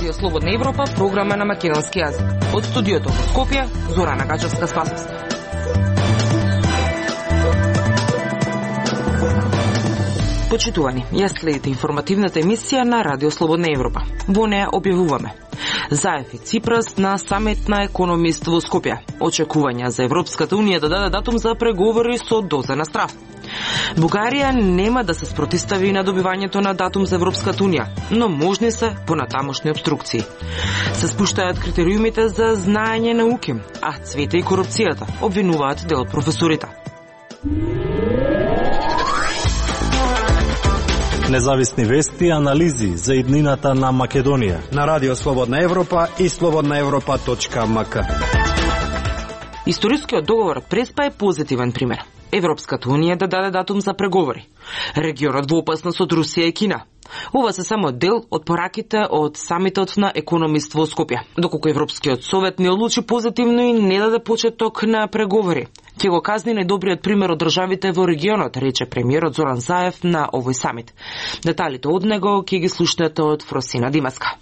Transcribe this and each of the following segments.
Радио Слободна Европа, програма на македонски јазик. Од студиото во Скопје, Зорана Гачевска-Спасовска. Почитувани, ја следите информативната емисија на Радио Слободна Европа. Во неја објавуваме: Заев и Ципрас на самит на економист во Скопје. Очекувања за Европската унија да даде датум за преговори со доза на страв. Бугарија нема да се спротистави на добивањето на датум за Европската унија, но можни се понатамошни обструкции. Се спуштаат критериумите за знаење науки, а цвете и корупцијата, обвинуваат дел од професорите. Независни вести и анализи за иднината на Македонија на Радио Слободна Европа и slobodnaevropa.mk. Историскиот договор од Преспа е позитивен пример. Европската унија да даде датум за преговори. Регионот во опасност од Русија и Кина. Ова се само дел од пораките од самитот на економист во Скопје. Доколку Европскиот совет не одлучи позитивно и не даде почеток на преговори, ќе го казни најдобриот пример од државите во регионот, рече премиерот Зоран Заев на овој самит. Деталите од него ќе ги слушнете од Фросина Димаска.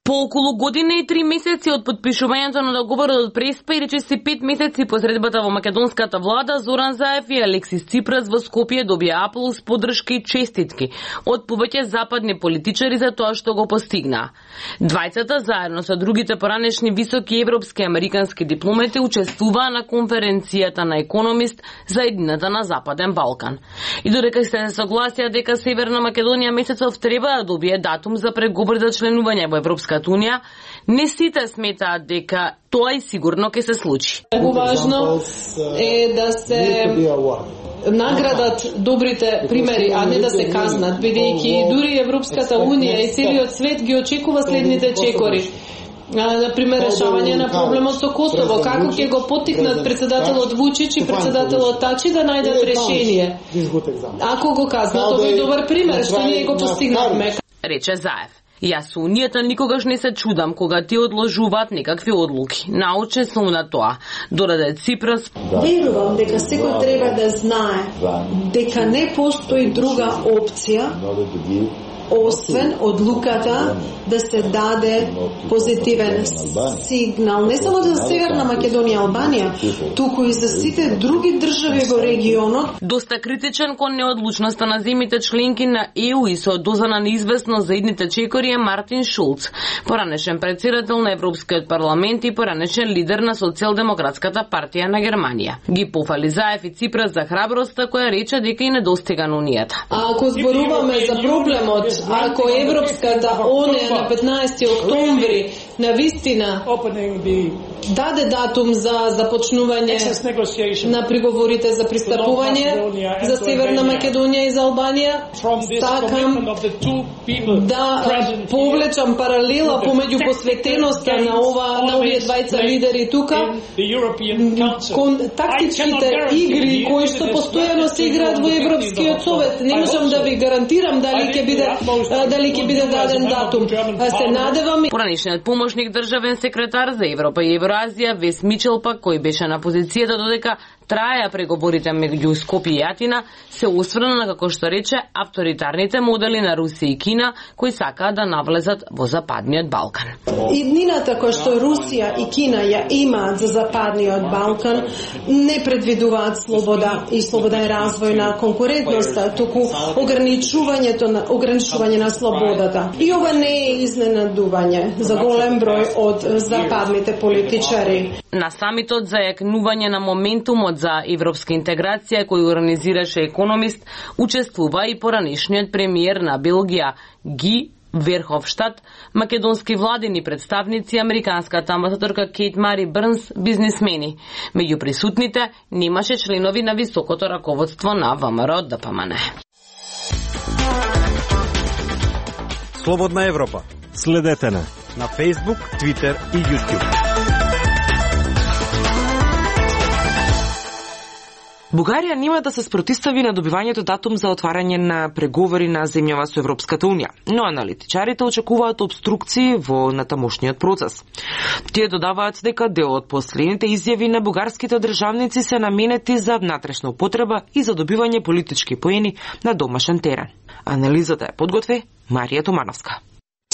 По околу година и 3 месеци од подпишувањето на договорот од Преспа и речиси 5 месеци по средбата во македонската влада, Зоран Заев и Алексис Ципрас во Скопје добија аплауз, поддршка и честитки од повеќе западни политичари за тоа што го постигнаа. Двајцата заедно со другите поранешни високи европски и американски дипломати учествуваа на конференцијата на економист за едината на Западен Балкан. И додека се согласија дека Северна Македонија месецов треба да добие датум за преговори за членување во Европска Унија, не сите сметаат дека тоа и сигурно ќе се случи. Многу важно е да се наградат добрите примери, а не да се казнат, бидејќи дури Европската Унија и целиот свет ги очекува следните чекори. Например, решавање на проблемот со Косово, како ќе го поттикнат председателот Вучич и председателот Тачи да најдат решение. Ако го казнат, тоа е добар пример, што ние го постигнавме. Рече Заев. Јас со Унијата никогаш не се чудам кога ти одложуваат некакви одлуки. Научен сум на тоа. Дораде Ципрас. Верувам дека секој треба да знае дека не постои друга опција освен одлуката да се даде позитивен сигнал не само за Северна Македонија и Албанија, туку и за сите други држави во регионот. Доста критичен кон неодлучноста на земјите членки на ЕУ и со доза на неизвестност за идните чекори е Мартин Шулц, поранешен председател на Европскиот парламент и поранешен лидер на Социјалдемократската партија на Германија. Ги пофали Заев и Ципрас за храброста која рече дека и недостига на Унијата. Ако зборуваме за проблемот, ако Европската Унија на 15 октомври на вистина даде датум за започнување на преговорите за пристапување за Северна Македонија и за Албанија, сакам да повлечам паралела помеѓу посветеноста на овие двајца лидери тука кон тактичките игри кои што постојано се играат во Европскиот совет. Не можам да ви гарантирам дали ќе биде даден датум. Се надевам. Поранешниот помошник државен секретар за Европа и Евроазија Вес Мичел пак, кој беше на позицијата додека траја преговорите меѓу Скопје и Атина, се осврна на, како што рече, авторитарните модели на Русија и Кина кои сакаат да навлезат во Западниот Балкан. Иднината која што Русија и Кина ја имаат за Западниот Балкан не предвидуваат слобода и развој на конкурентноста, туку ограничување на слободата. И ова не е изненадување за голем број од западните политичари. На самитот за јакнување на моментумот за европска интеграција кој организираше економист, учествува и поранешниот премиер на Белгија Ги Верховштад, македонски владини представници, американската амбасадорка Кейт Мари Брнс, бизнисмени. Меѓу присутните немаше членови на високото раководство на ВМРО ДПМН. Слободна Европа. Следете на Facebook, Twitter и YouTube. Бугарија нема да се спротистави на добивањето датум за отварање на преговори на земјава со Европската унија, но аналитичарите очекуваат обструкции во натамошниот процес. Тие додаваат дека дел од последните изјави на бугарските државници се наменети за внатрешна употреба и за добивање политички поени на домашен терен. Анализата е подготви Марија Томановска.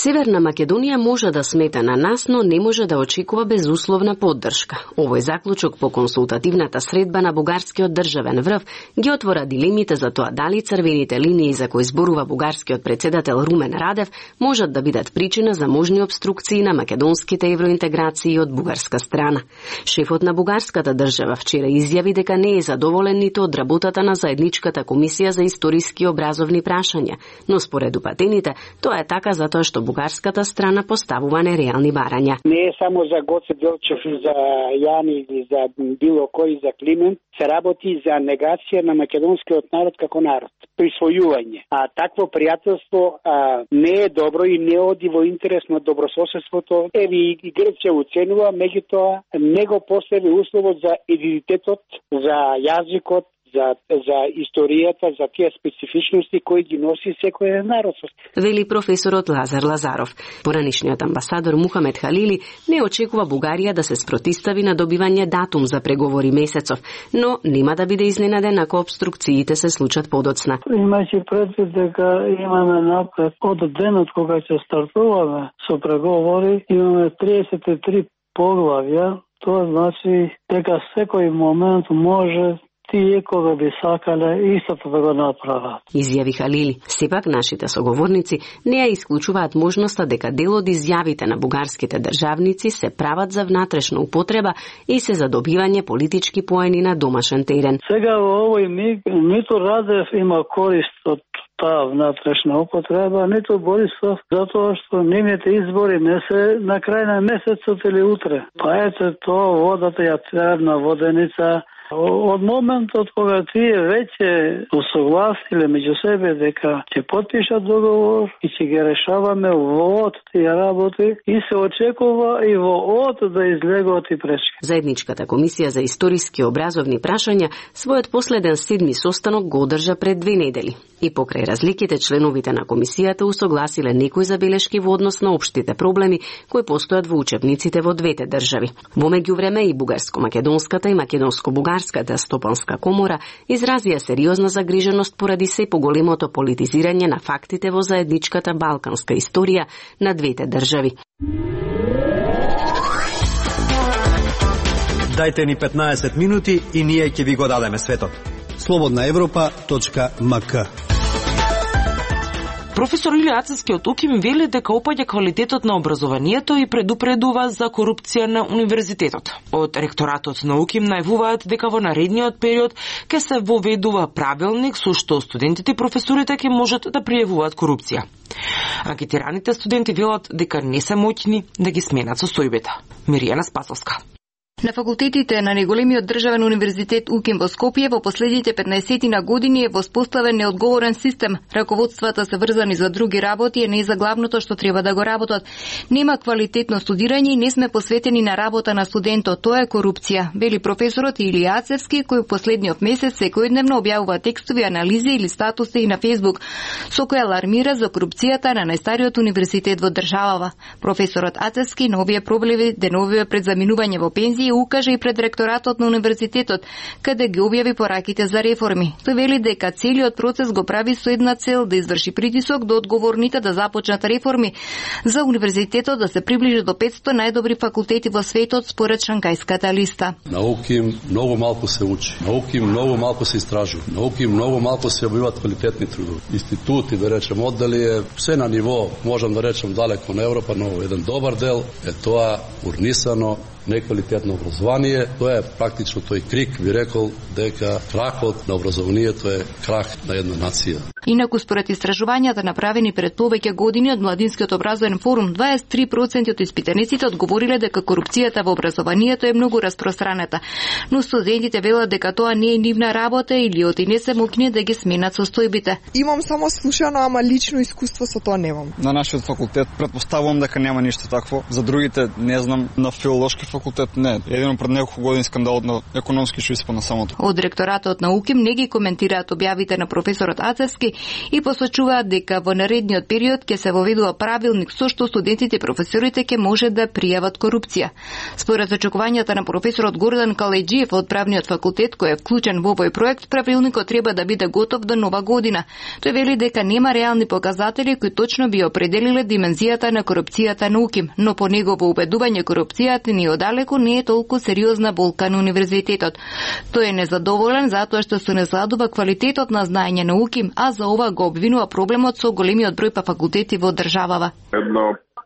Северна Македонија може да смета на нас, но не може да очекува безусловна поддршка. Овој заклучок по консултативната средба на бугарскиот државен врв ги отвора дилемите за тоа дали црвените линии за кои зборува бугарскиот председател Румен Радев можат да бидат причина за можни обструкции на македонските евроинтеграции од бугарска страна. Шефот на бугарската држава вчера изјави дека не е задоволен ниту од работата на заедничката комисија за историски образовни прашања, но според упатените тоа е така затоа што бугарската страна поставува нереални барања. Не е само за Гоце Делчев и за Јани или за било кој за Климент, се работи за негација на македонскиот народ како народ, присвојување. А такво пријателство не е добро и не оди во интерес на добрососедството. Еви и Грција оценува, меѓутоа не го постави условот за идентитетот, за јазикот, за историјата, за тие специфичности кои ги носи секој народ. Вели професорот Лазар Лазаров. Поранишниот амбасадор Мухамед Халили не очекува Бугарија да се спротистави на добивање датум за преговори месецов, но нема да биде изненаден ако обструкциите се случат подоцна. Имајќи предвид дека имаме напред од денот кога ќе стартуваме со преговори, имаме 33 поглавја, тоа значи дека секој момент може тие кога би сакале истото да го направат. Изјави Халили. Сепак нашите соговорници не ја исклучуваат можноста дека дел од изјавите на бугарските државници се прават за внатрешна употреба и се за добивање политички поени на домашен терен. Сега во овој миг ниту Радев има корист од таа внатрешна употреба, ниту Борисов, затоа што нивните избори не се на крај на месецот или утре. Па ете тоа водата ја требна воденица. Од моментот кога тие веќе усогласиле меѓу себе дека ќе потпишат договор и ќе ги решаваме во од тие работи и се очекува и во од да излегуваат и пречки. Заедничката комисија за историски образовни прашања својот последен 7ми состанок го одржа пред 2 недели. И покрај разликите, членовите на комисијата усогласиле некои забелешки во однос на општите проблеми кои постојат во учебниците во двете држави. Во меѓувреме и бугарско-македонската и македонско-бугарската стопанска комора изразија сериозна загриженост поради се поголемото политизирање на фактите во заедничката балканска историја на двете држави. Дајте ни 15 минути и ние ќе ви го дадеме светот. slobodnaevropa.mk. Професор Илија Ацевски од УКИМ вели дека опаѓа квалитетот на образованието и предупредува за корупција на универзитетот. Од ректоратот на УКИМ најавуваат дека во наредниот период ќе се воведува правилник со што студентите и професорите ќе можат да пријавуваат корупција. Анкетираните студенти велат дека не се моќни да ги сменат состојбите. Миријана Спасовска. На факултетите на неголемиот државен универзитет УКИМ во Скопје во последните 15 години е воспоставен неодговорен систем. Раководствата се врзани за други работи, не за главното што треба да го работат. Нема квалитетно студирање и не сме посветени на работа на студентот. Тоа е корупција, вели професорот Илија Ацевски, кој последниот месец секојдневно објавува текстови, анализи или статуси и на Facebook, со кои алармира за корупцијата на најстариот универзитет во државава. Професорот Ацевски на овие проблеми деновиве пред заминување во пензија укажа и пред ректоратот на универзитетот, каде ги објави пораките за реформи. Тој вели дека целиот процес го прави со една цел да изврши притисок до одговорните да започнат реформи за универзитетот да се приближи до 500 најдобри факултети во светот според Шангајската листа. На УКИМ многу малку се учи, на УКИМ многу малку се истражува, на УКИМ многу малку се објавуваат квалитетни трудови. Институти, да речем, оддели е се на ниво, можам да речем далеко на Европа, но еден добар дел е тоа урнисано неквалитетно образование. Тоа е практично тој крик, би рекол дека крахот на образованието е крах на една нација. Инаку според истражувањата направени пред повеќе години од Младинскиот образовен форум, 23% од испитаниците одговориле дека корупцијата во образованието е многу распространета. Но студентите велат дека тоа не е нивна работа или оти не се моќни да ги сменат состојбите. Имам само слушано, ама лично искуство со тоа немам. На нашиот факултет претпоставувам дека нема ништо такво. За другите не знам, на филолошки факултет факултет не. Едино пред неколку години скандалот на економски што испадна самото. Од ректоратот на УКИМ не ги коментираат објавите на професорот Ацевски и посочуваат дека во наредниот период ќе се воведува правилник со што студентите и професорите ќе може да пријават корупција. Според очекувањата на професорот Гордан Каледжиев од правниот факултет кој е вклучен во овој проект, правилникот треба да биде готов до нова година. Тој вели дека нема реални показатели кои точно би определиле димензијата на корупцијата на УКИМ, но по негово убедување корупцијата ни одалеку не е толку сериозна болка на универзитетот. Тој е незадоволен затоа што се несладува квалитетот на знаење на УКИМ, а за ова го обвинува проблемот со големиот број факултети во државава.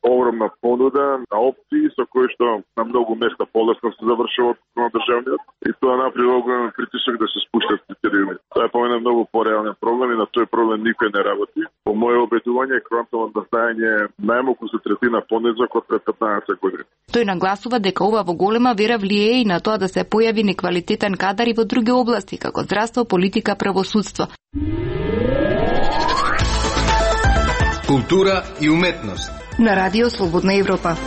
Огромна понуда на опции со кои што на многу места полесно се завршува на државниот и тоа направи огромен притисок да се спуштат критериуми. Тоа е помене многу пореален проблем и на тој проблем никој не работи. По моје обедување квантовото на знаење најмалку се третина понизок од пред 15 години. Тој нагласува дека ова во голема вера влијае и на тоа да се појави неквалитетен кадар и во други области како здравство, политика, правосудство. Култура и уметност на Радио Слободна Европа.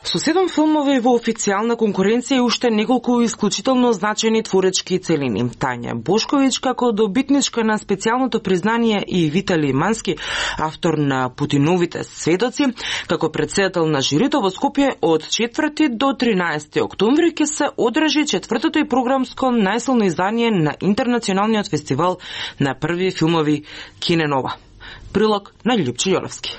Со 7 филмови во официјална конкуренција и уште неколку исклучително значени творечки целини. Тања Бошковиќ како добитничка на специјалното признание и Витали Мански, автор на Путиновите сведоци, како претседател на жирито во Скопје од 4 до 13 октомври ќе се одржи 4-то и програмско најсилно издание на Интернационалниот фестивал на први филмови Киненова. Прилог на Љупче Јолевски.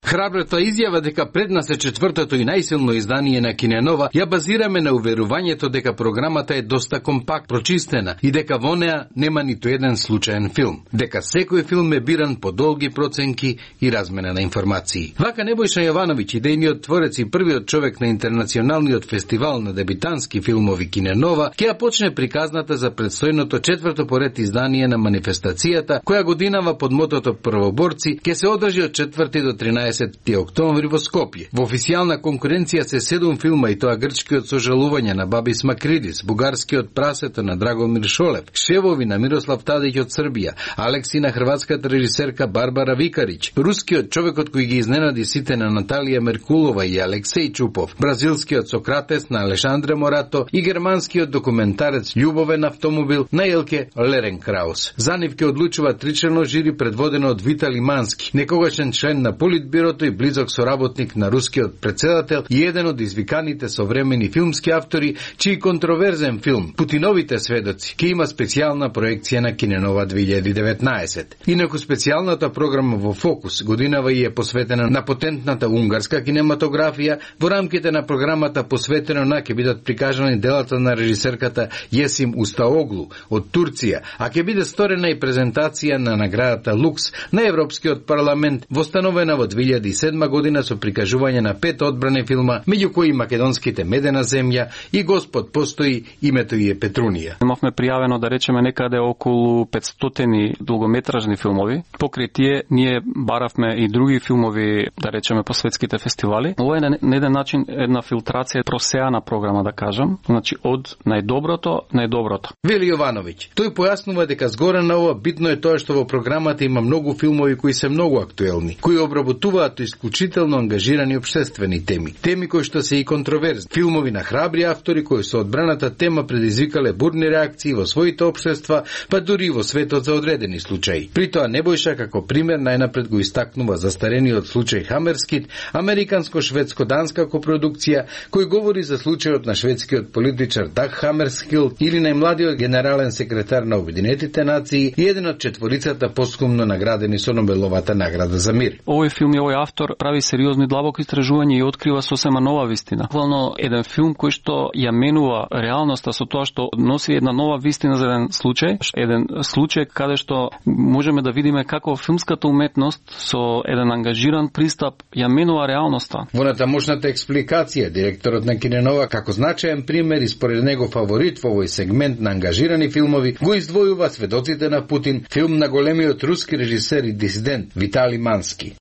Храбрата изјава дека пред нас е 4-то и најсилно издание на Киненова ја базираме на уверувањето дека програмата е доста компакт, прочистена и дека во неа нема ниту еден случаен филм, дека секој филм е биран по долги проценки и размена на информации. Вака Небојша Јовановиќ, идејниот творец и првиот човек на Интернационалниот фестивал на дебитански филмови Киненова, ќе ја почне приказната за предстојното 4-то поред издание на манифестацијата, која годинава под мотото Првоборци, ќе се одржи од 4 до 13 октомври во Скопје. Во официјална конкуренција се 7 филма и тоа грчкиот Сожалување на Бабис Макридис, бугарскиот Прасето на Драгомир Шолев, Шевови на Мирослав Тадиќ од Србија, Алекси на хрватската режисерка Барбара Викарич, рускиот Човекот кој ги изненади сите на Наталија Меркулова и Алексеј Чупов, бразилскиот Сократес на Алешандре Морато и германскиот документарец Љубовен автомобил на Елке Леренкраус. За нив ќе одлучува тричлено жири предводено од Витали Мански, некогашен член на Политбирото и близок соработник на рускиот претседател и еден од извиканите современи филмски автори, чиј контроверзен филм Путиновите сведоци ќе има специјална проекција на Киненова 2019. Инаку специјалната програма во Фокус годинава и е посветена на потентната унгарска кинематографија. Во рамките на програмата посветено на ќе бидат прикажани делата на режисерката Јесим Устаоглу од Турција, а ќе биде сторена и презентација на наградата Лукс на Европскиот парламент, востановена во 2007 година со прикажување на 5 одбрани филма, меѓу кои македонските Медена земја и Господ постои, името и е Петрунија. Имавме пријавено да речеме некаде околу 500 долгометражни филмови. Покрај тие ние баравме и други филмови, да речеме по светските фестивали. Ова е на еден начин една филтрација, просеана програма да кажам, значи од најдоброто. Вели Јовановиќ. Тој појаснува дека згоре на ова битно е тоа што во програмата има многу филмови кои се многу актуелни, кои обработуваат исклучително ангажирани општествени теми кои што се и контроверзни. Филмови на храбри автори кои со одбраната тема предизвикале бурни реакции во своите општества, па дури во светот за одредени случаи. При тоа Небојша како пример најнапред го истакнува застарениот случај Хамерскит, американско-шведско-данска копродукција, кој говори за случајот на шведскиот политичар Даг Хамерскилд или најмладиот генерален секретар на Обединетите нации и еден од четворицата постхумно наградени со Нобеловата награда за мир. Овој филм и овој автор прави сериозни длабоки истражувања и открива сосема нова вистина. Буквално еден филм кој што ја менува реалноста со тоа што носи една нова вистина за еден случај каде што можеме да видиме како филмската уметност со еден ангажиран пристап ја менува реалноста. Во натамошната експликација директорот на Киненова како значаен пример и според него фаворит во овој сегмент на ангажирани филмови го издвојува Сведоците на Путин, филм на големиот руски режисер и дисидент Витали Мански.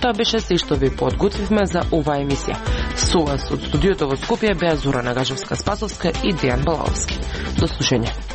Тоа беше се што ви подготвивме за оваа емисија. Со вас од студиото во Скопје беа Зора Нагажевска-Спасовска и Дејан Балаовски. До слушање.